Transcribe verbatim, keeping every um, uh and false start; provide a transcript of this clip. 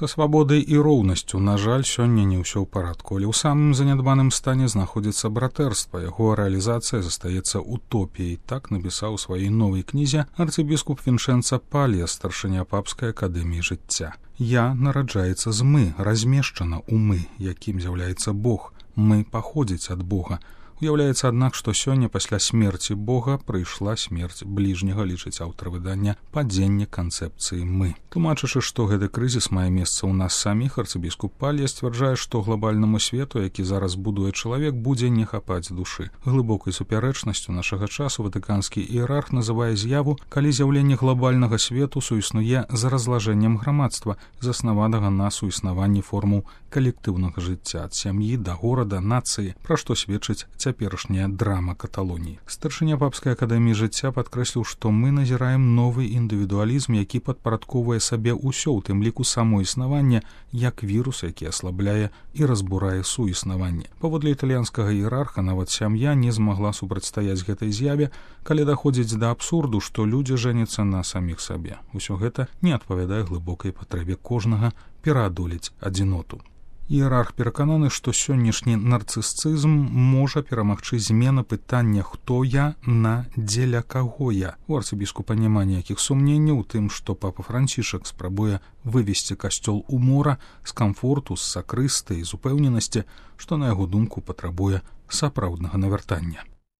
Са свабодай і роўнасцю, на жаль, сёння не ўсё ў парадку, але ў самым занядбаным стане знаходзіцца братэрства, яго рэалізацыя застаецца утопіяй, так напісаў у сваёй новай кнізе арцыбіскуп Віншэнца Палья, старшыня папскай акадэміі жыцця. Я нараджаецца з мы, размешчана ў мы, якім з'яўляецца Бог. Мы паходзіць ад Бога. Уяўляецца, аднак, што сёння пасля смерці Бога прыйшла смерць бліжняга, лічыць аўтар выдання, падзенне канцэпцыі «мы». Тлумачачы, што гэты крызіс мае месца ў нас саміх, арцыбіскуп Палья сцвярджае, што глобальнаму свету, які зараз будуе чалавек, будзе не хапаць душы. Глыбокай супярэчнасцю нашага часу ватыканскі іерарх называе з'яву, калі з'яўленне глобальнага свету суіснуе з разлажэннем грамадства, заснаванага на суіснаванні формаў калектыўнага жыцця ад сям'і да горада, нацыі, пра што сведчыць цяперашняя драма Каталоніі. Старшыня папскай акадэміі жыцця падкрэсліў, што мы назіраем новы індывідуалізм, які падпарадковвае сабе ўсё, у тым ліку само існаванне, як вірус, які аслабляе і разбурае суіснаванне. Паводле італьянскага іерарха, нават сям'я не змагла супрацьстаяць гэтай з'яве, калі даходзіць да абсурду, што людзі жэняцца на саміх сабе. Усё гэта не адпавядае глыбокай патрэбе кожнага пераадолець адзіноту. Іерарх перакананы, што сённяшні нарцысцызм можа перамагчы змена пытання «хто я» на «дзеля каго я». У арцыбіскупа няма ніякіх сумненняў у тым, што папа Францішак спрабуе вывесці касцёл у мора з камфорту, з сакрысты і з упэўненасці, што, на яго думку, патрабуе сапраўднага навяртання.